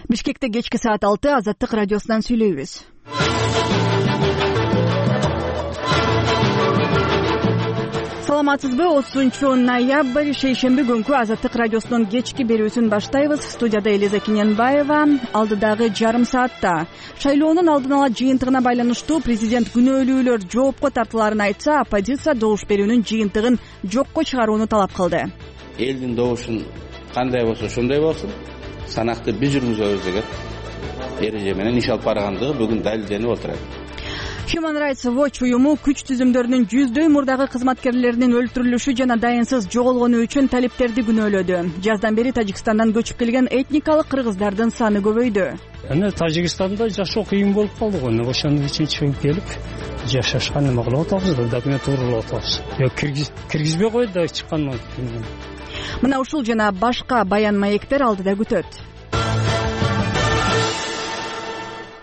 Бишкекте кечки саат 6 Азаттык радиосунан сүйлөйбүз. Саламатсызбы? 30-ноябрь шейшемби күнкү Азаттык радиосунун кечки берүүсүн баштайбыз. Студияда Элиза Киненбаева. Алдыдагы жарым саатта шайлоонун алдын ала жыйынтыгына байланыштуу президент күнөөлүүлөр жоопко тартыларын айтса, оппозиция добуш берүүнүн жыйынтыгын жокко чыгарууну талап кылды. Элдин добушун кандай болсо ошондой болсун, санакты биз жүргүзөбүз деген эреже менен иш алып баргандыгы бүгүн далилденип отурат. Human Rights Watch уюму күч түзүмдөрүнүн жүздөй мурдагы кызматкерлеринин өлтүрүлүшү жана дайынсыз жоголгону үчүн талиптерди күнөөлөдү. Жаздан бери Тажикстандан көчүп келген этникалык кыргыздардын саны көбөйдү. Тажикстанда жашоо кыйын болуп калды го. Ошону үчүн чыгып келип жашашкан эме кылып атабыз, документ уурулуп атабыз. Киргизбей койду да чыккандан кийин. Мына ушул жана башка баян маектер алдыда күтөт.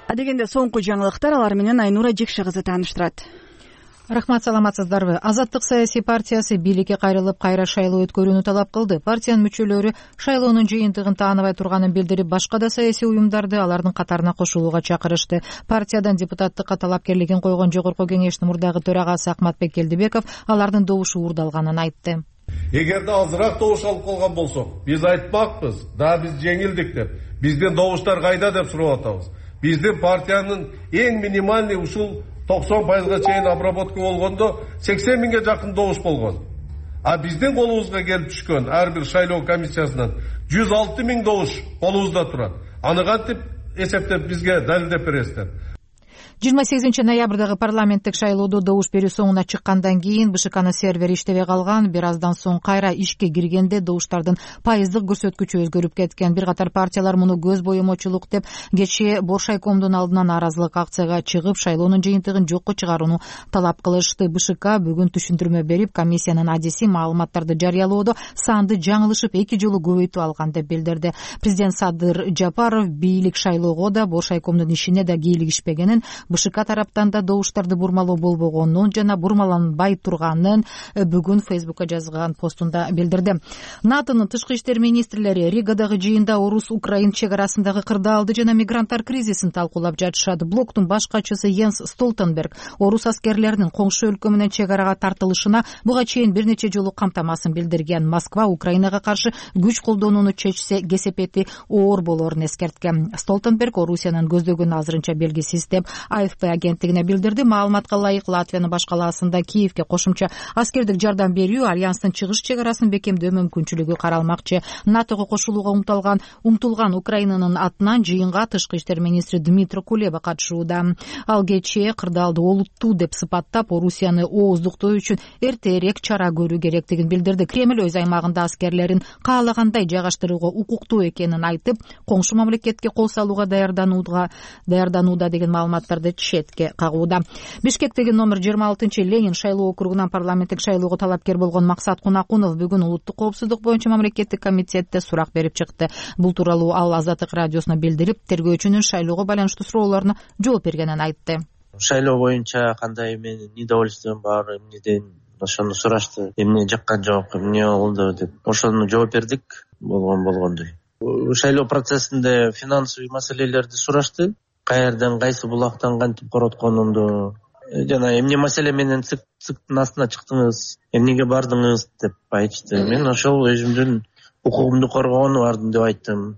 Адегенде соңку жаңылыктар, алар менен Айнура Жекше кызы тааныштырат. Рахмат, саламатсыздарбы? Азаттык саясий партиясы бийликке кайрылып кайра шайлоо өткөрүүнү талап кылды. Партиянын мүчөлөрү шайлоонун жыйынтыгын тааныбай турганын билдирип, башка да саясий уюмдарды алардын катарына кошулууга чакырышты. Партиядан депутаттыкка талапкерлигин койгон жогорку кеңештин мурдагы төрагасы Акматбек Келдибеков алардын добушу уурдалганын айтты. Эгерде азыраак добуш алып калган болсок, биз айтпакпыз, да биз жеңилдик деп. Биздин добуштар кайда деп сурап атабыз. Биздин партиянын эң минимальный ушул 90% чейин обработка болгондо 80 миңге жакын добуш болгон. А биздин колубузга келип түшкөн ар бир шайлоо комиссиясынан 106 миң добуш колубузда турат. Аны кантип эсептеп бизге далилдеп бересиздер? 28 ноябрдагы парламенттик шайлоодо добуш берүү соңуна чыккандан кийин БШКнын сервери иштебей калган. Бир аздан соң кайра ишке киргенде добуштардын пайыздык көрсөткүчү өзгөрүп кеткен. Бир катар партиялар муну көз боемочулук деп кечээ Боршайкомдун алдынан нааразылык акцияга чыгып, шайлоонун жыйынтыгын жокко чыгарууну талап кылышты. БШК бүгүн түшүндүрмө берип, комиссиянын адиси маалыматтарды жарыялоодо санды жаңылышып 2 жолу көбөйтүп алган деп билдирди. Президент Садыр Жапаров бийлик шайлоого да, Боршайкомдун ишине да кийлигишпегенин, БШК тараптан да добуштарды бурмалоо болбогонун жана бурмаланбай турганын бүгүн Фейсбукка жазган постунда билдирди. НАТОнун тышкы иштер министрлери Ригадагы жыйында орус-украин чек арасындагы кырдаалды жана мигранттар кризисин талкуулап жатышат. Блоктун баш катчысы Йенс Столтенберг орус аскерлеринин коңшу өлкө менен чек арага тартылышына буга чейин бир нече жолу камтамасын билдирген. Москва Украинага каршы күч колдонууну чечсе, кесепети оор болорун эскерткен. Столтенберг Орусиянын көздөгөнү азырынча белгисиз деп АФП агенттигине билдирди. Маалыматка ылайык, Латвиянын баш калаасында Киевке кошумча аскердик жардам берүү, альянстын чыгыш чек арасын бекемдөө мүмкүнчүлүгү каралмакчы. НАТОго кошулууга умтулган Украинанын атынан жыйынга тышкы иштер министри Дмитро Кулеба катышууда. Ал кечээ кырдаалды олуттуу деп сыпаттап, Орусияны ооздуктоо үчүн эртерээк чара көрүү керектигин билдирди. Кремль өз аймагында аскерлерин каалагандай жайгаштырууга укуктуу экенин айтып, коңшу мамлекетке кол салууга даярданууда деген маалыматтарды четке кагууда. Бишкектеги номер 26 Ленин шайлоо округунан парламенттик шайлоого талапкер болгон Максат Кунакунов бүгүн улуттук коопсуздук боюнча мамлекеттик комитетте сурак берип чыкты. Бул тууралуу ал Азаттык радиосуна билдирип, тергөөчүнүн шайлоого байланыштуу суроолоруна жооп бергенин айтты. Шайлоо боюнча кандай менин недовольствием бар, эмнеден ошону сурашты. Эмне жаккан жок, эмне болду деп. Ошону жооп бердик, болгондой. Шайлоо процессинде финансовый маселелерди сурашты. Каерден, кайсы булактан кантип коротконунду жана эмне маселе менен цыктын астына чыктыңыз, эмнеге бардыңыз деп айтышты. Мен ошол өзүмдүн укугумду коргоону бардым деп айттым,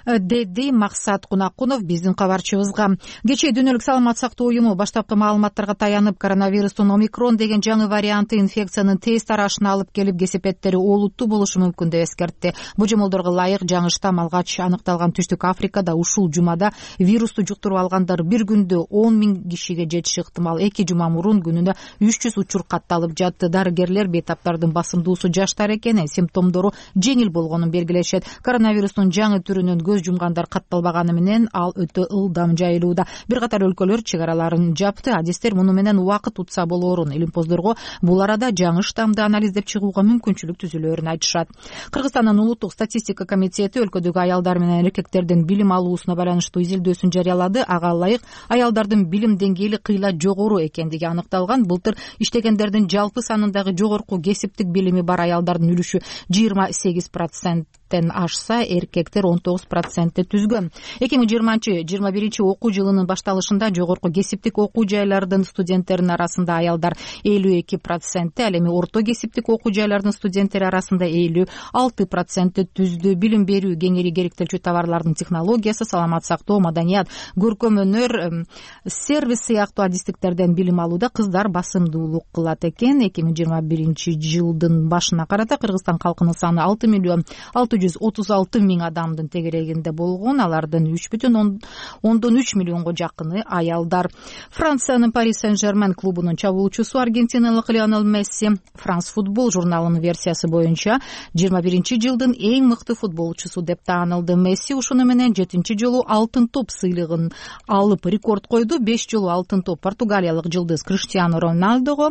деди Максат Кунакунов биздин кабарчыбызга. Кечээ Дүйнөлүк саламат сактоо уюму баштапкы маалыматтарга таянып, коронавирустун омикрон деген жаңы варианты инфекциянын тез тарашына алып келип, кесепеттери олуттуу болушу мүмкүн деп эскертти. Божомолдорго ылайык жаңы штамм алгач аныкталган Түштүк Африкада ушул жумада вирусту жуктуруп алгандар бир күндө 10 миң кишиге жетиши ыктымал. 2 жума мурун күнүнө 300 учур катталып жатты. Дарыгерлер бейтаптардын басымдуусу жаштар экени, симптомдору жеңил болгонун белгилешет. Коронавирустун жаңы түрүнөн көз жумгандар катталбаганы менен ал өтө ылдам жайылууда. Бир катар өлкөлөр чек араларын жапты. Адистер муну менен убакыт утса болоорун, илимпоздорго бул арада жаңы штаммды анализдеп чыгууга мүмкүнчүлүк түзүлөөрүн айтышат. Кыргызстандын улуттук статистика комитети өлкөдөгү аялдар менен эркектердин билим алуусуна байланыштуу изилдөөсүн жарыялады. Ага ылайык аялдардын билим деңгээли кыйла жогору экендиги аныкталган. Былтыр иштегендердин жалпы санындагы жогорку кесиптик билими бар аялдардын үлүшү 28% ашса, эркектер 19% түзгөн. 2020-21 окуу жылынын башталышында жогорку кесиптик окуу жайлардын студенттеринин арасында аялдар 52%, ал эми орто кесиптик окуу жайлардын студенттери арасында 56% түздү. Билим берүү, кеңири керектелчү товарлардын технологиясы, саламат сактоо, маданият, көркөм өнөр, сервис сыяктуу адистиктерден билим алууда кыздар басымдуулук кылат экен. 2021 жылдын башына карата Кыргызстан калкынын саны 6,636,000 адамдын тегерегинде болгон. Алардын 3,3 миллионго жакыны аялдар. Франциянын Paris Saint-Germain клубунун чабуулчусу аргентиналык Лионель Месси France Football журналынын версиясы боюнча 21 жылдын эң мыкты футболчусу деп таанылды. Месси ушуну менен 7 жолу алтын топ сыйлыгын алып рекорд койду. 5 жолу алтын топ португалиялык жылдыз Криштиану Роналдого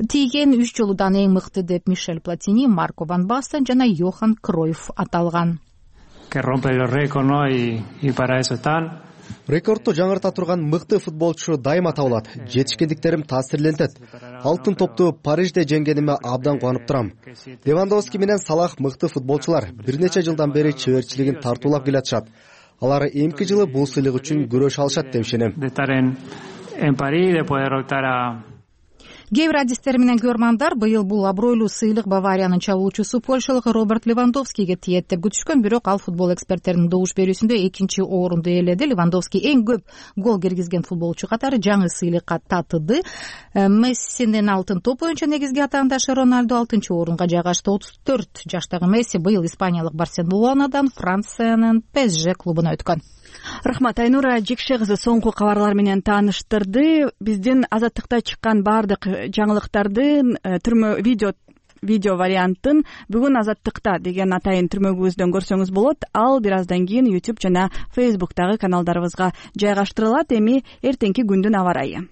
тийген. 3 жолудан эң мыкты деп Мишель Платини, Марко Ван Бастен жана Йохан Кройф аталган. Рекордду жаңырта турган мыкты футболчу дайыма табылат. Жетишкендиктерим таасирлентет. Алтын топту Парижде жеңгениме абдан кубанып турам. Левандовски менен Салах мыкты футболчулар. Бир нече жылдан бери чеберчилигин тартуулап келатышат. Алар эмки жылы бул сыйлык үчүн күрөш алышат деп ишенем. Кээ бир адистер менен көрмандар быйыл бул абройлуу сыйлык Бавариянын чабуулчусу польшалык Роберт Левандовскиге тиет деп күтүшкөн, бирок ал футбол эксперттеринин добуш берүүсүндө 2 орунду ээледи. Левандовски эң көп гол киргизген футболчу катары жаңы сыйлыкка татыды. Мессинин алтын топ боюнча негизги атаандашы Роналду 6-орунга жайгашты. 34 жаштагы Месси быйыл испаниялык Барселонадан Франциянын PSG клубуна өткөн. Рахмат, Айнура Жекше кызы соңку кабарлар менен тааныштырды. Биздин Азаттыкта чыккан баардык жаңылыктардын түрмө видео вариантын бүгүн Азаттыкта деген атайын түрмөгүбүздөн көрсөңүз болот. Ал бир аздан кийин YouTube жана Facebook'тагы каналдарыбызга жайгаштырылат. Эми эртеңки күндүн аба ырайы.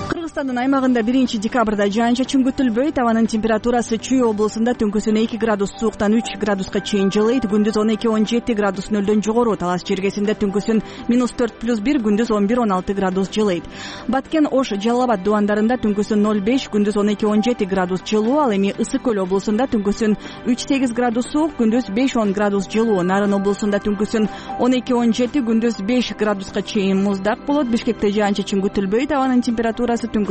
Кыргызстандын аймагында 1 декабрда жаан-чачын күтүлбөйт. Абанын температурасы Чүй облусунда түнкүсүн 2 градус сууктан 3 градуска чейин жылыйт. Күндүз 12-17 градус нөлдөн жогору. Талас жергесинде түнкүсүн -4+1, күндүз 11-16 градус жылыйт. Баткен, Ош, Жалал Абад дубандарында түнкүсүн 0,5, күндүз 12-17 градус жылуу. Ал эми Ысык көл облусунда түнкүсүн 3-8 градус суук, күндүз 5-10 градус жылуу. Нарын облусунда түнкүсүн 12-17, күндүз 5 градуска чейин муздак болот. Бишкекте жаан-чачын күтүлбөйт. Абанын температурасы түнкүсүн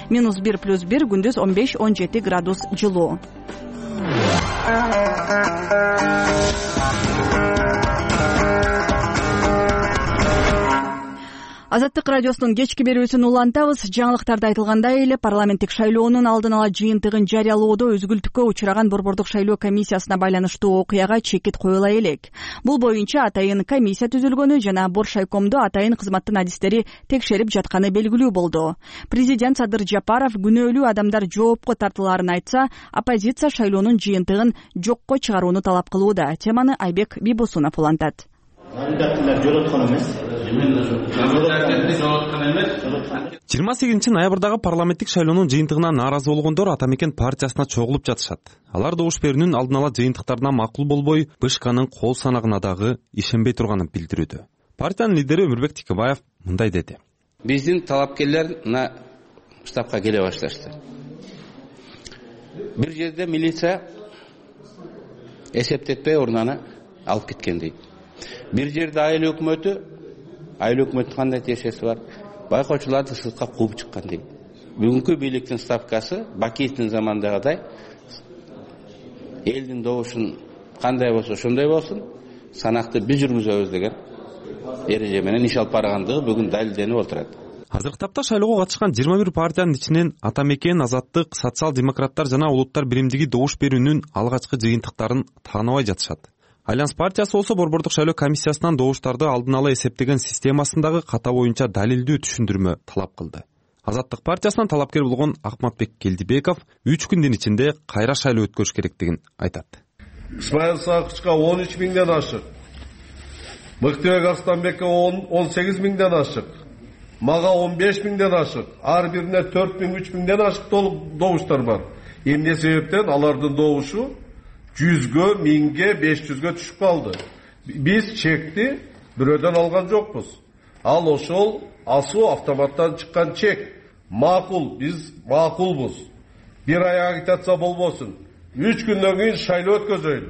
-1+1, күндүз 15-17 градус жылуу. Азаттык радиосунун кечки берүүсүн улантабыз. Жаңылыктарда айтылгандай эле парламенттик шайлоонун алдын ала жыйынтыгын жарыялоодо өзгүлтүккө учураган Борбордук шайлоо комиссиясына байланыштуу окуяга чекит коюла элек. Бул боюнча атайын комиссия түзүлгөнү жана Боршайкомду атайын кызматтын адистери текшерип жатканы белгилүү болду. Президент Садыр Жапаров күнөөлүү адамдар жоопко тартылаарын айтса, оппозиция шайлоонун жыйынтыгын жокко чыгарууну талап кылууда. Теманы Айбек Бибосунов улантат. Кандидаттар жороткон эмес. 28 ноябрдагы парламенттик шайлоонун жыйынтыгына нааразы болгондор Ата Мекен партиясына чогулуп жатышат. Алар добуш берүүнүн алдын ала жыйынтыктарына макул болбой, БШКнын кол санагына дагы ишенбей турганын билдирүүдө. Партиянын лидери Өмүрбек Тикебаев мындай деди. Биздин талапкерлер мына штабка келе башташты. Бир жерде милиция эсептетпей урнаны алып кеткен дейт. Бир жерде айыл өкмөтү кандай тиешеси бар? Байкоочуларды сыртка кууп чыккан дейт. Бүгүнкү бийликтин ставкасы Бакиевдин замандагыдай элдин добушун кандай болсо ошондой болсун, санакты биз жүргүзөбүз деген эреже менен иш алып баргандыгы бүгүн далилденип отурат. Азыркы тапта шайлоого катышкан 21 партиянын ичинен Ата Мекен, Азаттык, Социал-демократтар жана Улуттар биримдиги добуш берүүнүн алгачкы жыйынтыктарын тааныбай жатышат. Альянс партиясы болсо Борбордук шайлоо комиссиясынан добуштарды алдын ала эсептеген системасындагы ката боюнча далилдүү түшүндүрмө талап кылды. Азаттык партиясынан талапкер болгон Акматбек Келдибеков 3 күндүн ичинде кайра шайлоо өткөрүш керектигин айтат. Исмаил Сакычка 13 миңден ашык. Мыктыбек Арстанбекке 18 миңден ашык. Мага 15 миңден ашык. Ар бирине 4 миң, 3 миңден ашык добуштар бар. Эмне себептен алардын добушу 100гө, 1000ге, 500гө түшүп калды. Биз чекти бирөөдөн алган жокпуз. Ал ошол асуу автоматтан чыккан чек. Макул, биз макулбуз. Бир ай агитация болбосун. 3 күндөн кийин шайлоо өткөзөйлү.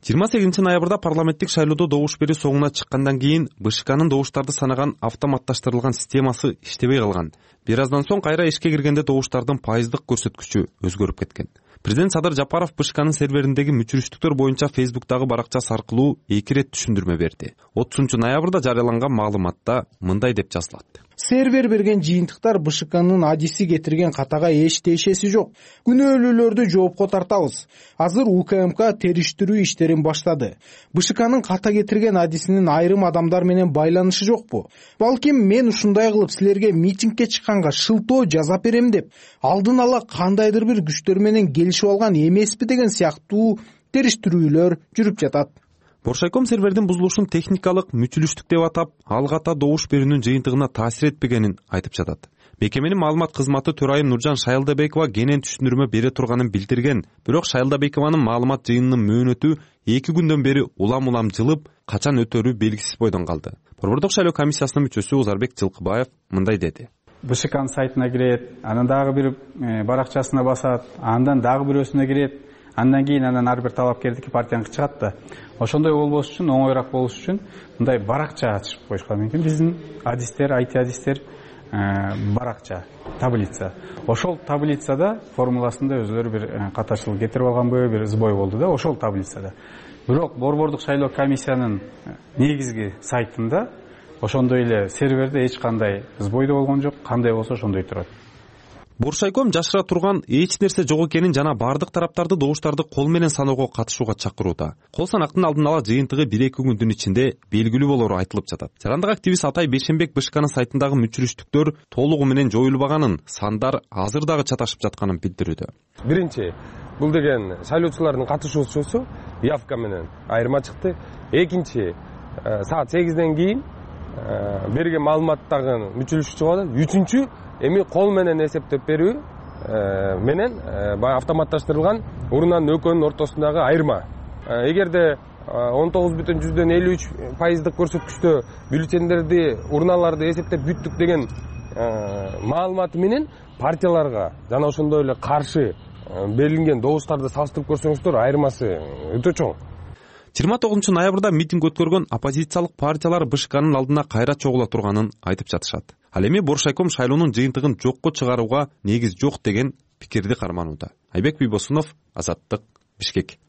28 ноябрда парламенттик шайлоодо добуш берүү соңуна чыккандан кийин БШКнын добуштарды санаган автоматташтырылган системасы иштебей калган. Бир аздан соң кайра ишке киргенде добуштардын пайыздык көрсөткүчү өзгөрүп кеткен. Президент Садыр Жапаров БШКнын сервериндеги мүчүрүштүктөр боюнча Facebook'тагы баракчасы аркылуу 2 ирет түшүндүрмө берди. 30 ноябрда жарыяланган маалыматта мындай деп жазылат: Сервер берген жыйынтыктар БШКнын адиси кетирген катага эч тиешеси жок. Күнөөлүүлөрдү жоопко тартабыз. Азыр УКМК териштирүү иштерин баштады. БШКнын ката кетирген адисинин айрым адамдар менен байланышы жокпу? Балким мен ушундай кылып силерге митингке чыкканга шылтоо жасап берем деп алдын ала кандайдыр бир күчтөр менен келишип алган эмеспи деген сыяктуу териштирүүлөр жүрүп жатат. Боршайком сервердин бузулушун техникалык мүчүлүштүк деп атап, ал ката добуш берүүнүн жыйынтыгына таасир этпегенин айтып жатат. Мекеменин маалымат кызматы төрайым Нуржан Шайылдабекова кенен түшүндүрмө бере турганын билдирген. Бирок Шайылдабекованын маалымат жыйынынын мөөнөтү 2 күндөн бери улам жылып, качан өтөрү белгисиз бойдон калды. Борбордук шайлоо комиссиясынын мүчөсү Узарбек Жылкыбаев мындай деди: БШКнын сайтына кирет, анан дагы бир баракчасына басат, андан дагы бирөөсүнө кирет, андан кийин ар бир талапкердики партияныкы чыгат да. Ошондой болбош үчүн, оңоюраак болуш үчүн мындай баракча ачып коюшкан экен. Биздин адистер, IT адистер баракча, таблица. Ошол таблицада формуласында өзүлөрү бир катачылык кетирип алганбы, бир сбой болду да, ошол таблицада. Бирок борбордук шайлоо комиссиянын негизги сайтында ошондой эле серверде эч кандай сбой да болгон жок, кандай болсо ошондой турат. Боршайком жашыра турган эч нерсе жок экенин жана бардык тараптарды добуштарды кол менен саноого катышууга чакырууда. Кол санактын алдын ала жыйынтыгы 1-2 күндүн ичинде белгилүү болору айтылып жатат. Жарандык активист Атай Бейшенбек БШКнын сайтындагы мүчүрүштүктөр толугу менен жоюлбаганын, сандар азыр дагы чаташып жатканын билдирүүдө. Биринчи, бул деген шайлоочулардын катышуусу явка менен айырма чыкты. Экинчи, саат 8ден кийин берген маалыматтагы мүчүрүштүк чыгат. Үчүнчү, эми кол менен эсептеп берүү менен автоматташтырылган урунанын экөөнүн ортосундагы айырма. Эгерде 19,53% көрсөткүчтө бюллетендерди, урналарды эсептеп бүттүк деген маалыматы менен партияларга жана ошондой эле каршы берилген добуштарды салыштырып көрсөңүздөр, айырмасы өтө чоң. 29 ноябрда митинг өткөргөн оппозициялык партиялар БШКнын алдына кайра чогула турганын айтып жатышат. Ал эми Боршайком шайлоонун жыйынтыгын жокко чыгарууга негиз жок деген пикирди карманууда. Айбек Бийбосунов, Азаттык, Бишкек.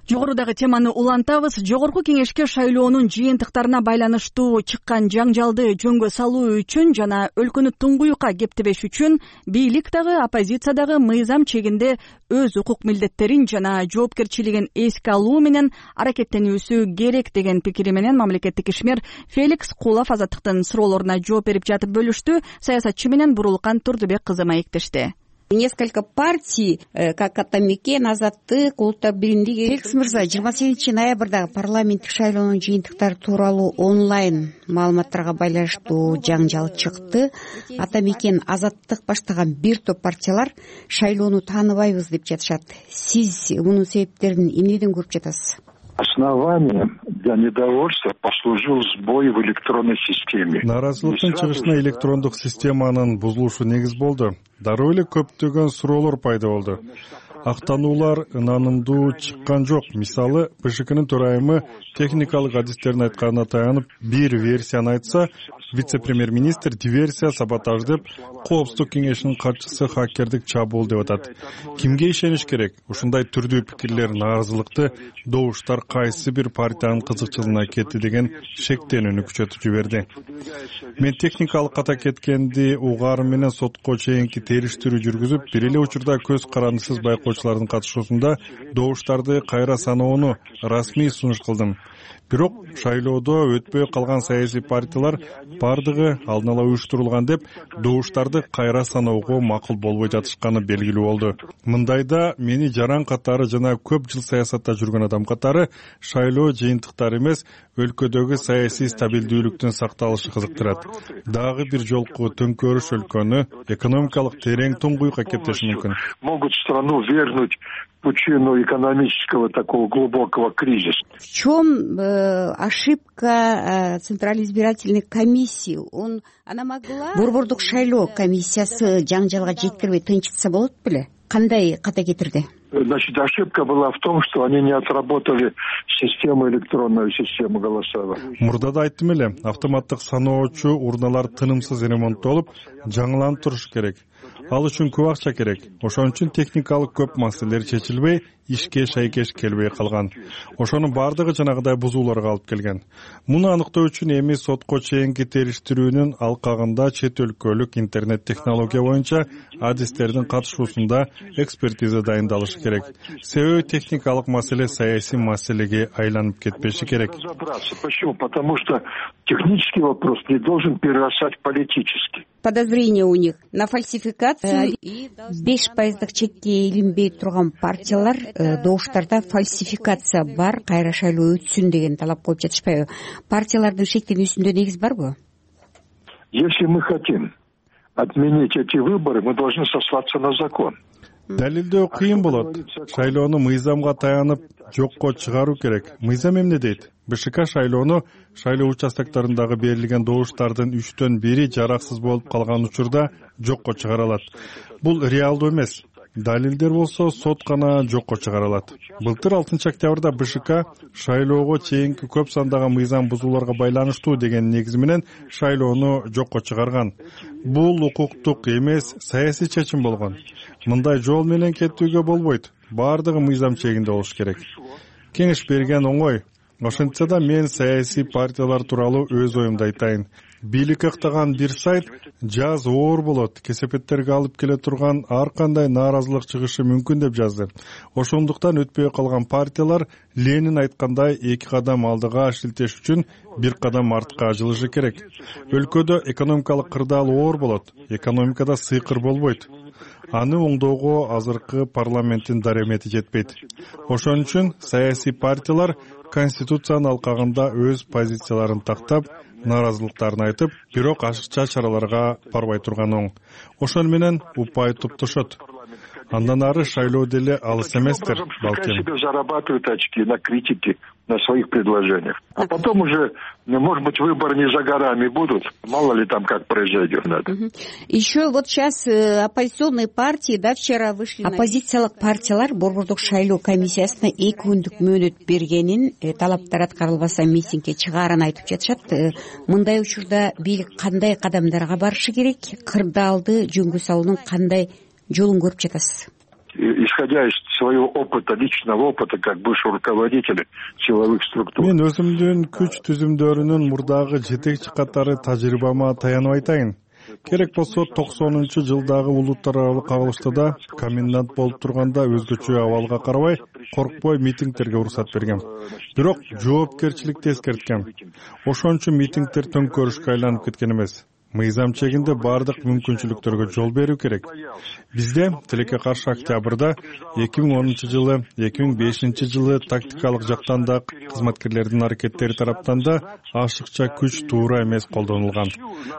Жогорудагы теманы улантабыз. Жогорку кеңешке шайлоонун жыйынтыктарына байланыштуу чыккан жаңжалды жөнгө салуу үчүн жана өлкөнү туңгуюкка кептебеш үчүн бийлик дагы оппозиция дагы мыйзам чегинде өз укук милдеттерин жана жоопкерчилигин эске алуу менен аракеттенүүсү керек деген пикири менен мамлекеттик ишмер Феликс Кулов Азаттыктын суроолоруна жооп берип жатып бөлүштү. Саясатчы менен Бурулкан Турдубек кызы маектешти. Несколько партий, как Атамекен, Азаттык, Улуттук биримдик. Феликс мырза, 28 ноябрда парламенттик шайлоонун жыйынтыктары тууралуу онлайн маалыматтарга байланыштуу жаңжал чыкты. Атамекен, Азаттык баштаган бир топ партиялар шайлоону тааныбайбыз деп жатышат. Сиз мунун себептерин эмнеден көрүп жатасыз? Основанием для недовольства послужил сбой в электронной системе. Нааразылыктын чыгышына электрондук системанын бузулушу негиз болду. Дароо эле көптөгөн суроолор пайда болду. Актануулар ынанымдуу чыккан жок. Мисалы, БШКнын төрайымы техникалык адистердин айтканына таянып бир версияны айтса, вице-премьер-министр диверсия, саботаж деп, Коопсуздук кеңешинин катчысы хакердик чабуул деп атат. Кимге ишениш керек? Ушундай түрдүү пикирлер нааразылыкты добуштар кайсы бир партиянын кызыкчылыгына кетти деген шектенүүнү күчөтүп жиберди. Мен техникалык ката кеткенди угаары менен сотко чейинки териштирүү жүргүзүп, бир эле учурда көз карандысыз байкоочулардын катышуусунда добуштарды кайра саноону расмий сунуш кылдым. Бирок шайлоодо өтпөй калган саясий партиялар бардыгы алдын ала уюштурулган деп добуштарды кайра саноого макул болбой жатышканы белгилүү болду. Мындайда мени жаран катары жана көп жыл саясатта жүргөн адам катары шайлоо жыйынтыктары эмес, өлкөдөгү саясий стабилдүүлүктүн сакталышы кызыктырат. Дагы бир жолку төңкөрүш өлкөнү экономикалык терең туңгуюкка кептеши мүмкүн. Могут страну выдернуть причину экономического такого глубокого кризиса. В чем ошибка Центральной избирательной комиссии? Она могла... Борбордук шайлоо комиссиясы жаңжалга жеткирбей тынчытса болот беле? Кандай ката кетирди? Значит, ошибка была в том, что они не отработали электронную систему голосования. Мурда да айттым эле, автоматтык саноочу урналар тынымсыз ремонттолуп, жаңыланып турушу керек. Ал үчүн көп акча керек. Ошон үчүн техникалык көп маселелер чечилбей, ишке шайкеш келбей калган. Ошонун бардыгы жанагыдай бузууларга алып келген. Муну аныктоо үчүн эми сотко чейинки териштирүүнүн алкагында чет өлкөлүк интернет технология боюнча адистердин катышуусунда экспертиза дайындалышы керек. Себеби техникалык маселе саясий маселеге айланып кетпеши керек. Почему? Потому что технический вопрос не должен перерастать в политический. Подозрение у них на фальсификацию. 5% чекке илинбей турган партиялар добуштарда фальсификация бар, кайра шайлоо өтсүн деген талап коюп жатышпайбы? Партиялардын шектенүүсүндө негиз барбы? Если мы хотим отменить эти выборы, мы должны сослаться на закон. Далилдөө кыйын болот. Шайлоону мыйзамга таянып жокко чыгаруу керек. Мыйзам эмне дейт? БШК шайлоону шайлоо участоктарындагы берилген добуштардын 3/1 жараксыз болуп калган учурда жокко чыгара алат. Бул реалдуу эмес. Далилдер болсо сот гана жокко чыгара алат. Былтыр 6 октябрда БШК шайлоого чейинки көп сандагы мыйзам бузууларга байланыштуу деген негиз менен шайлоону жокко чыгарган. Бул укуктук эмес, саясий чечим болгон. Мындай жол менен кетүүгө болбойт. Бардыгы мыйзам чегинде болуш керек. Кеңеш берген оңой. Ошентсе да мен саясий партиялар тууралуу өз оюмду айтайын. Бийлик актаган бир сайт жаз оор болот, кесепеттерге алып келе турган ар кандай нааразылык чыгышы мүмкүн деп жазды. Ошондуктан өтпөй калган партиялар Ленин айткандай 2 кадам алдыга шилтеш үчүн 1 кадам артка жылышы керек. Өлкөдө экономикалык кырдаал оор болот, экономикада сыйкыр болбойт. Аны оңдоого азыркы парламенттин даремети жетпейт. Ошон үчүн саясий партиялар конституциянын алкагында өз позицияларын тактап, нааразылыктарын айтып, бирок ашыкча чараларга барбай турган оң. Ошон менен упай туптушот. Андан ары шайлоо деле алыс эместир, балким. Зарабатывают очки на критике, на своих предложениях. А потом уже, может быть, выборы не за горами будут. Мало ли там как произойдет. Еще вот сейчас оппозиционные партии, да, вчера вышли... Оппозициялык партиялар Борбордук шайлоо комиссиясына 2 күндүк мөөнөт бергенин, талаптар аткарылбаса митингге чыгаарын айтып жатышат. Мындай учурда бийлик кандай кадамдарга барышы керек? Кырдаалды жөнгө салуунун кандай жолун көрүп жатасыз? Исходя из своего опыта, личного опыта, как бывший руководитель силовых структур. Мен өзүмдүн күч түзүмдөрүнүн мурдагы жетекчи катары тажрыйбама таянып айтайын. Керек болсо 90-жылдагы улуттар аралык кагылыштарда комендант болуп турганда өзгөчө абалга карабай, коркпой митингтерге уруксат берген. Бирок жоопкерчиликти эскерткем. Ошон үчүн митингтер төңкөрүшкө айланып кеткен эмес. Мыйзам чегинде бардык мүмкүнчүлүктөргө жол берүү керек. Бизде тилекке каршы октябрда 2010-жылы, 2005-жылы тактикалык жактан да кызматкерлердин аракеттери тараптан да ашыкча күч туура эмес колдонулган.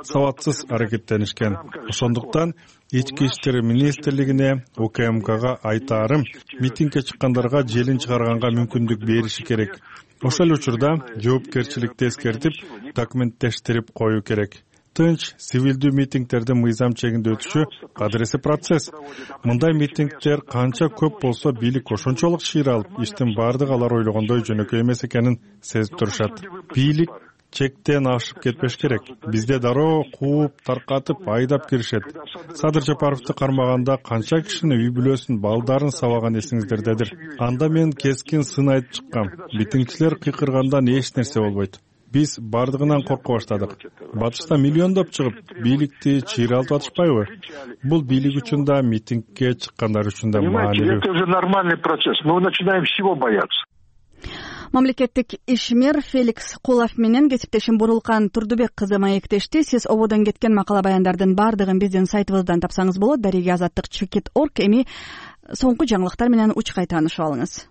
Сабатсыз аракеттенишкен. Ошондуктан Ички иштер министрлигине, УКМКга айтаарым, митингге чыккандарга желин чыгарганга мүмкүндүк бериши керек. Ошол учурда жоопкерчиликти эскертип, документтештирип коюу керек. Тынч, сивилдүү митингтердин мыйзам чегинде өтүшү кадыресе процесс. Мындай митингтер канча көп болсо бийлик ошончолук шыйра алып, иштин бардыгы алар ойлогондой жөнөкөй эмес экенин сезип турушат. Бийлик чектен ашып кетпеш керек. Бизде дароо кууп, таркатып, айдап киришет. Садыр Жапаровду кармаганда канча кишини үй бүлөсүн, балдарын сабаган эсиңиздердедир. Анда мен кескин сын айтып чыккам. Митингчилер кыйкыргандан эч нерсе болбойт. Биз бардыгынан корко баштадык. Батышта миллиондоп чыгып, бийликти чыйралтып атышпайбы? Бул бийлик үчүн да, митингге чыккандар үчүн да маанилүү. Это уже нормальный процесс. Мы начинаем всего бояться. Мамлекеттик ишмер Феликс Кулов менен кесиптешим Бурулкан Турдубек кызы маектешти. Сиз ободон кеткен макала баяндардын бардыгын биздин сайтыбыздан тапсаңыз болот. Дареги азаттык /org. Эми соңку жаңылыктар менен учкай таанышып алыңыз.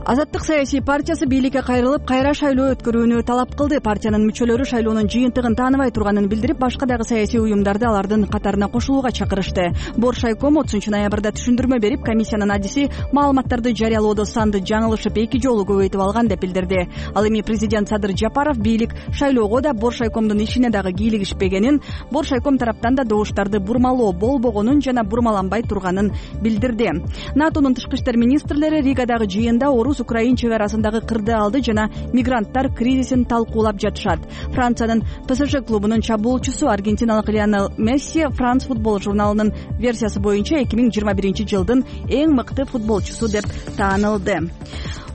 Азаттык саясий партиясы бийликке кайрылып, кайра шайлоо өткөрүүнү талап кылды. Партиянын мүчөлөрү шайлоонун жыйынтыгын тааныбай турганын билдирип, башка дагы саясий уюмдарды алардын катарына кошулууга чакырышты. Боршайком 30 ноябрда түшүндүрмө берип, комиссиянын адиси маалыматтарды жарыялоодо санды жаңылышып 2 жолу көбөйтүп алган деп билдирди. Ал эми президент Садыр Жапаров бийлик шайлоого да Боршайкомдун ишине дагы кийлигишпегенин, Боршайком тараптан да добуштарды бурмалоо болбогонун жана бурмаланбай турганын билдирди. НАТОнун тышкы иштер министрлери Ригадагы жыйында Украин чек арасындагы кырдаалды жана мигранттар кризисин талкуулап жатышат. Франциянын ПСЖ клубунун чабуулчусу аргентиналык Лионель Месси France футбол журналынын версиясы боюнча 2021 жылдын эң мыкты футболчусу деп таанылды.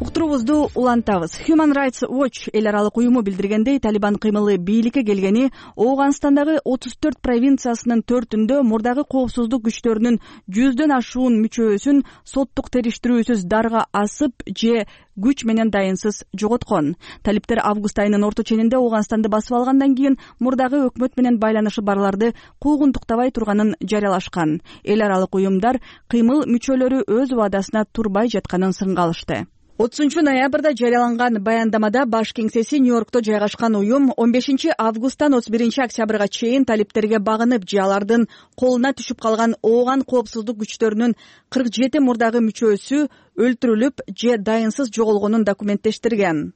Уктуруубузду улантабыз. Human Rights Watch эл аралык уюму билдиргендей, Талибан кыймылы бийликке келгени Ооганстандагы 34 провинциясынын 4-үндө мурдагы коопсуздук күчтөрүнүн 100дөн ашуун мүчөсүн соттук териштирүүсүз дарга асып же күч менен дайынсыз жоготкон. Талиптер август айынын орто ченинде Ооганстанды басып алгандан кийин мурдагы өкмөт менен байланышы барларды куугунтуктабай турганын жарыялашкан. Эл аралык уюмдар кыймыл мүчөлөрү өз убадасына турбай жатканын сынга алышты. 30 ноябрда жарыяланган баяндамада баш кеңсеси Нью-Йоркто жайгашкан уюм 15 августтан 31 октябрга чейин талиптерге багынып же алардын колуна түшүп калган Ооган коопсуздук күчтөрүнүн 47 мурдагы мүчөсү өлтүрүлүп же дайынсыз жоголгонун документтештирген.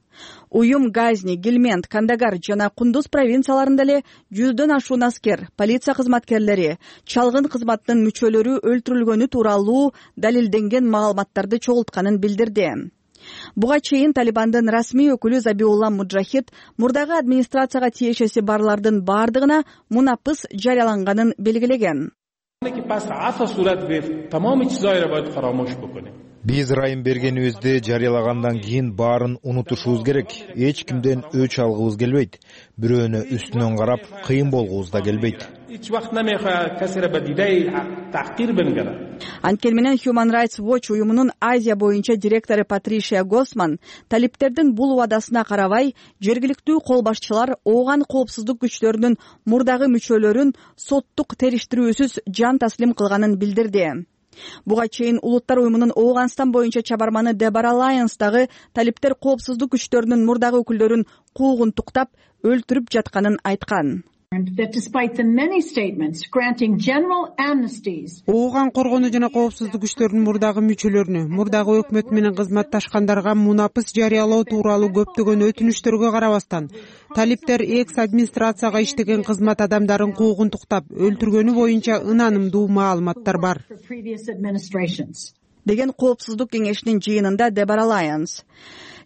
Уюм Газни, Гилмент, Кандагар жана Кундуз провинцияларында эле 100дөн ашуун аскер, полиция кызматкерлери, чалгын кызматтын мүчөлөрү өлтүрүлгөнү тууралуу далилденген маалыматтарды чогултканын билдирди. Буга чейин Талибандын расмий өкүлү Забиулла Муджахид мурдагы администрацияга тиешеси барлардын бардыгына мунапыс жарыяланганын белгилеген. Биз ырайым бергенибизди жарыялагандан кийин баарын унутушубуз керек. Эч кимден өч алгыбыз келбейт. Бирөөнө үстүнөн карап кыйын болгубуз да келбейт. Анткени менен Human Rights Watch уюмунун Азия боюнча директору Патришия Госман талиптердин бул убадасына карабай, жергиликтүү кол башчылар Ооган коопсуздук күчтөрүнүн мурдагы мүчөлөрүн соттук териштирүүсүз жан таслим кылганын билдирди. Буга чейин Улуттар уюмунун Ооганстан боюнча чабарманы Дебора Лайонс дагы талиптер коопсуздук күчтөрүнүн мурдагы өкүлдөрүн куугунтуктап өлтүрүп жатканын айткан. Ооган коргонуу жана коопсуздук күчтөрүнүн мурдагы мүчөлөрүнө, мурдагы өкмөт менен кызматташкандарга мунапыс жарыялоо тууралуу көптөгөн өтүнүчтөргө карабастан, талиптер экс администрацияга иштеген кызмат адамдарын куугунтуктап өлтүргөнү боюнча ынанымдуу маалыматтар бар деген коопсуздук кеңешинин жыйынында Дебора Лайонс.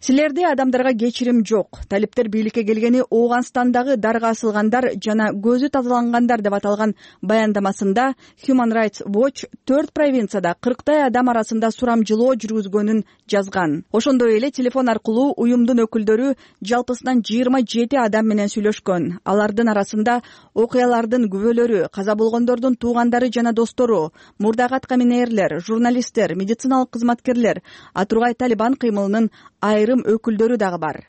Силерде адамдарга кечирим жок. Талиптер бийликке келгени Ооганстандагы дарга асылгандар жана көзү тазалангандар деп аталган баяндамасында Human Rights Watch 4 провинцияда 40 адам арасында сурамжылоо жүргүзгөнүн жазган. Ошондой эле телефон аркылуу уюмдун өкүлдөрү жалпысынан 27 адам менен сүйлөшкөн. Алардын арасында окуялардын күбөлөрү, каза болгондордун туугандары жана достору, мурдагы аткаминерлер, журналисттер, медициналык кызматкерлер, Атургай Талибан кыймылынын айрым өкүлдөрү дагы бар.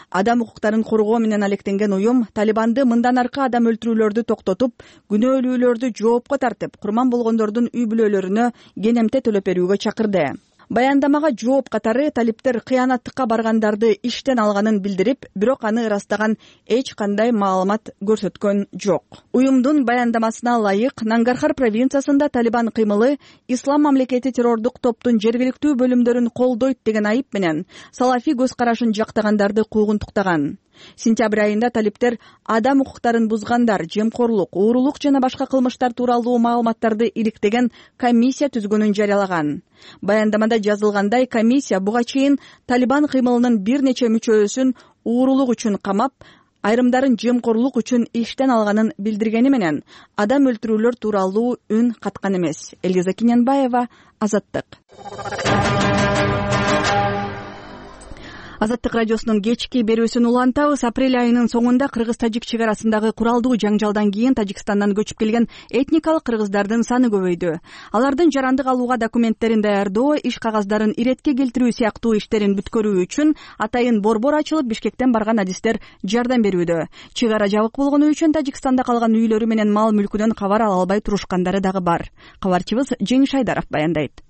Адам укуктарын коргоо менен алектенген уюм Талибанды мындан аркы адам өлтүрүүлөрдү токтотуп, күнөөлүүлөрдү жоопко тартып, курман болгондордун үй бүлөлөрүнө кенемте төлөп берүүгө чакырды. Баяндамага жооп катары талиптер кыянаттыкка баргандарды иштен алганын билдирип, бирок аны ырастаган эч кандай маалымат көрсөткөн жок. Уюмдун баяндамасына ылайык, Нангархар провинциясында Талибан кыймылы Ислам мамлекети террордук топтун жергиликтүү бөлүмдөрүн колдойт деген айып менен салафи көз карашын жактагандарды куугунтуктаган. Сентябрь айында талиптер адам укуктарын бузгандар, жемкорлук, уурулук жана башка кылмыштар тууралуу маалыматтарды иликтеген комиссия түзгөнүн жарыялаган. Баяндамада жазылгандай, комиссия буга чейин Талибан кыймылынын бир нече мүчөсүн уурулук үчүн камап, айрымдарын жемкорлук үчүн иштен алганын билдиргени менен адам өлтүрүүлөр тууралуу үн каткан эмес. Элиза Кинянбаева, Азаттык. Азаттык радиосунун кечки берүүсүн улантабыз. Апрель айынын соңунда кыргыз-тажик чек арасындагы куралдуу жаңжалдан кийин Тажикстандан көчүп келген этникалык кыргыздардын саны көбөйдү. Алардын жарандык алууга документтерин даярдоо, иш кагаздарын иретке келтирүү сыяктуу иштерин бүткөрүү үчүн атайын борбор ачылып, Бишкектен барган адистер жардам берүүдө. Чек ара жабык болгону үчүн Тажикстанда калган үйлөрү менен мал мүлкүнөн кабар ала албай турушкандары дагы бар. Кабарчыбыз Жеңиш Айдаров баяндайт.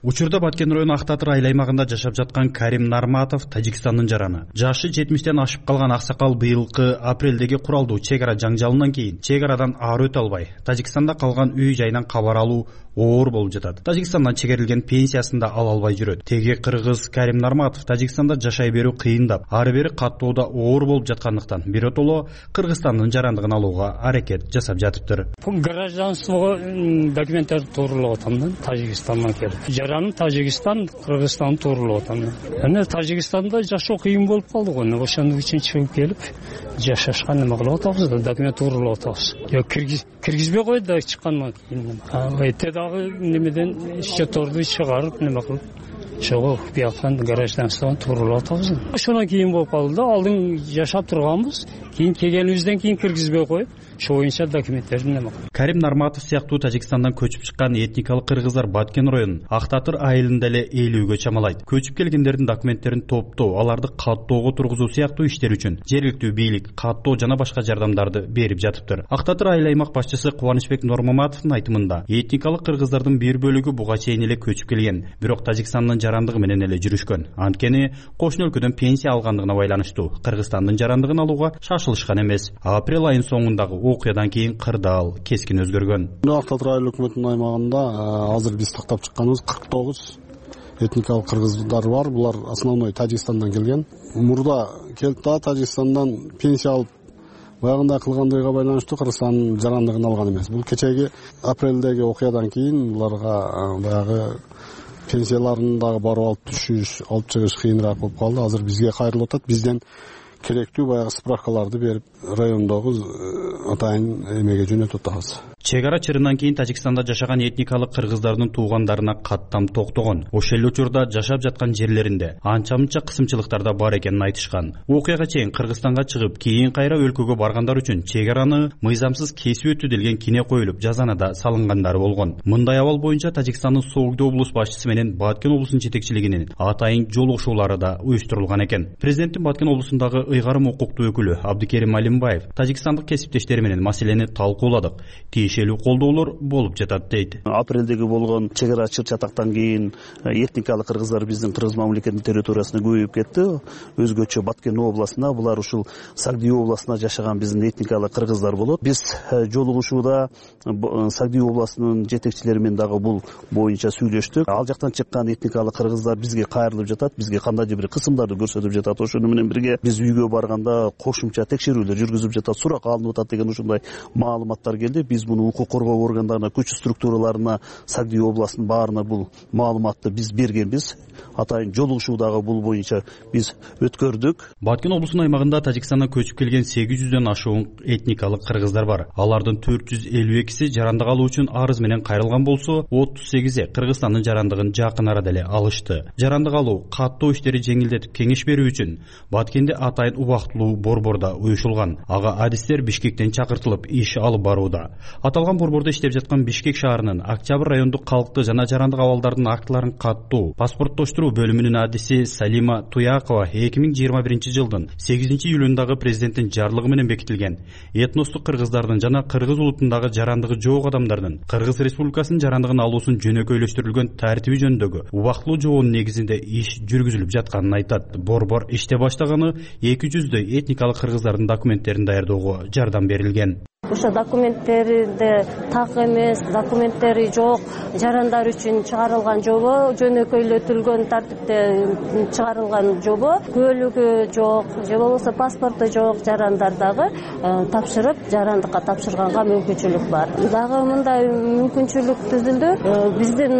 Учурда Баткен району Ак Татыр айыл аймагында жашап жаткан Карим Нарматов Тажикстандын жараны. Жашы 70тен ашып калган аксакал быйылкы апрелдеги куралдуу чек ара жаңжалынан кийин чек арадан ары өтө албай, Тажикстанда калган үй жайынан кабар алуу оор болуп жатат. Тажикстандан чегерилген пенсиясын да ала албай жүрөт. Теги кыргыз Карим Нарматов Тажикстанда жашай берүү кыйындап, ары бери каттоодо оор болуп жаткандыктан биротоло Кыргызстандын жарандыгын алууга аракет жасап жатыптыр. Гражданствого документтер тууралап атам да, Тажикстандан келип. Жараным Тажикстан, Кыргызстан тууралап атам. Эми Тажикстанда жашоо кыйын болуп калды го. Ошондук үчүн чыгып келип, жашашка неме кылып атабыз да, документ тууралап атабыз. Киргизбей койду да чыккандан кийин. Эте дагы немеден счетторду чыгарып неме кылып, чогуу бияктан гражданстводан тууралап атабыз. Ошондон кийин болуп калды да, алдын жашап турганбыз. Кийин келгенибизден кийин киргизбей коюп, ошо боюнча документтерди неме кылып. Карим Нарматов сыяктуу Тажикстандан көчүп чыккан этникалык кыргыздар Баткен районунун Ак Татыр айылында эле ээлүүгө чамалайт. Көчүп келгендердин документтерин топтоо, аларды каттоого тургузуу сыяктуу иштер үчүн жергиликтүү бийлик каттоо жана башка жардамдарды берип жатыптыр. Ак Татыр айыл аймак башчысы Кубанычбек Нормаматовдун айтымында, этникалык кыргыздардын бир бөлүгү буга чейин эле көчүп келген, бирок Тажикстандын жарандыгы менен эле жүрүшкөн. Анткени кошуна өлкөдөн пенсия алгандыгына байланыштуу Кыргызстандын жарандыгын алууга шашылышкан эмес. Апрель айынын соңундагы окуядан кийин кырдаал кескин өзгөргөн. Ак Татыр айыл өкмөтүнүн аймагында азыр биз тактап чыкканыбыз 49 этникалык кыргыздар бар. Булар основной Тажикстандан келген. Мурда келип да Тажикстандан пенсия алып баягында кылгандыгына байланыштуу Кыргызстандын жарандыгын алган эмес. Бул кечеги апрелдеги окуядан кийин буларга баягы пенсияларын дагы барып алып чыгыш кыйыныраак болуп калды. Азыр бизге кайрылып атат. Бизден керектүү баягы справкаларды берип райондогу атайын эмеге жөнөтүп атабыз. Чек ара чырынан кийин Тажикстанда жашаган этникалык кыргыздардын туугандарына каттам токтогон. Ошол эле учурда жашап жаткан жерлеринде анча-мынча кысымчылыктар да бар экенин айтышкан. Окуяга чейин Кыргызстанга чыгып, кийин кайра өлкөгө баргандар үчүн чек араны мыйзамсыз кесип өтүү делген кине коюлуп, жазана да салынгандары болгон. Мындай абал боюнча Тажикстандын Согдо облус башчысы менен Баткен облусунун жетекчилигинин атайын жолугушуулары да уюштурулган экен. Президенттин Баткен облусундагы ыйгарым укуктуу өкүлү Абдикерим Алимбаев тажикстандык кесиптештери менен маселени талкууладык. Тиешелүү колдоолор болуп жатат дейт. Апрелдеги болгон чек ара чыр чатактан кийин этникалык кыргыздар биздин Кыргыз мамлекетинин территориясына көбөйүп кетти. Өзгөчө Баткен областына, булар ушул Сагдуу областына жашаган биздин этникалык кыргыздар болот. Биз жолугушууда Сагдуу областынын жетекчилери менен дагы бул боюнча сүйлөштүк. Ал жактан чыккан этникалык кыргыздар бизге кайрылып жатат, бизге кандайдыр бир кысымдарды көрсөтүп жатат. Ошону менен бирге биз үйгө барганда кошумча текшерүүлөр жүргүзүп жатат, сурак алынып атат деген ушундай маалыматтар келди. Биз муну укук коргоо органдарына, күч структураларына, Сагдуу областынын баарына бул маалыматты биз бергенбиз. Атайын жолугушуудагы бул боюнча биз өткөрдүк. Баткен облусунун аймагында Тажикстандан көчүп келген 800дөн ашуун этникалык кыргыздар бар. Алардын 452си жарандык алуу үчүн арыз менен кайрылган болсо, 38и Кыргызстандын жарандыгын жакын арада эле алышты. Жарандык алуу, каттоо иштери жеңилдетип кеңеш берүү үчүн Баткенде атайын убактылуу борбордо уюшулган. Ага адистер Бишкектен чакыртылып иш алып барууда. Аталган борбордо иштеп жаткан Бишкек шаарынын Октябрь райондук калкты жана жарандык абалдардын актыларын каттоо, паспорттоштуруу бөлүмүнүн адиси Салима Туякова 2021-жылдын 8-июлундагы президенттин жарлыгы менен бекитилген этностук кыргыздардын жана кыргыз улутундагы жарандыгы жок адамдардын Кыргыз Республикасынын жарандыгын алуусун жөнөкөйлөштүрүлгөн тартиби жөнүндөгү убактылуу жоонун негизинде иш жүргүзүлүп жатканын айтат. Борбор иште баштаганы 200дөй этникалык кыргыздардын документтерин даярдоого жардам берилген. Ошо документтерде так эмес, документтери жок жарандар үчүн чыгарылган жобо, жөнөкөйлөтүлгөн тартипте чыгарылган жобо, көлүгү жок же болбосо паспорту жок жарандар дагы тапшырып, жарандыкка тапшырганга мүмкүнчүлүк бар. Дагы мындай мүмкүнчүлүк түзүлдү. Биздин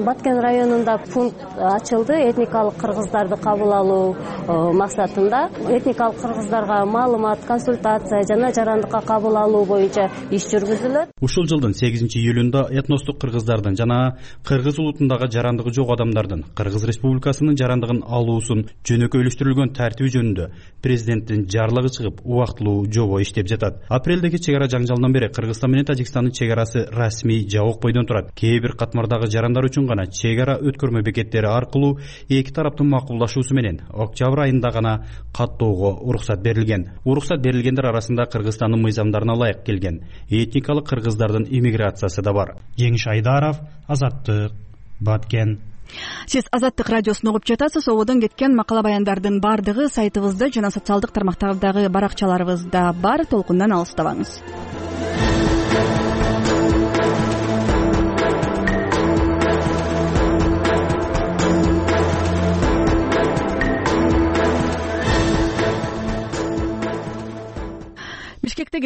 Баткен районунда пункт ачылды этникалык кыргыздарды кабыл алуу максатында. Этникалык кыргыздарга маалымат, консультация жана жарандыкка кабыл алуу боюнча иш жүргүзүлөт. Ушул жылдын 8-июлунда этностук кыргыздардын жана кыргыз улутундагы жарандыгы жок адамдардын Кыргыз Республикасынын жарандыгын алуусун жөнөкөйлөштүрүлгөн тартиби жөнүндө президенттин жарлыгы чыгып, убактылуу жобо иштеп жатат. Апрелдеги чек ара жаңжалынан бери Кыргызстан менен Тажикстандын чек арасы расмий жабык бойдон турат. Кээ бир катмардагы жарандар үчүн гана чек ара өткөрмө бекеттери аркылуу эки тараптын макулдашуусу менен октябрь айында гана каттоого уруксат берилген. Уруксат берилгендер арасында Кыргызстандын мыйзамдарына ылайык келген этникалык кыргыздардын иммиграциясы да бар. Жеңиш Айдаров, Азаттык, Баткен. Сиз Азаттык радиосун угуп жатасыз. Ободон кеткен макала баяндардын баардыгы сайтыбызда жана социалдык тармактардагы баракчаларыбызда бар. Толкундан алыстабаңыз. Бишкекте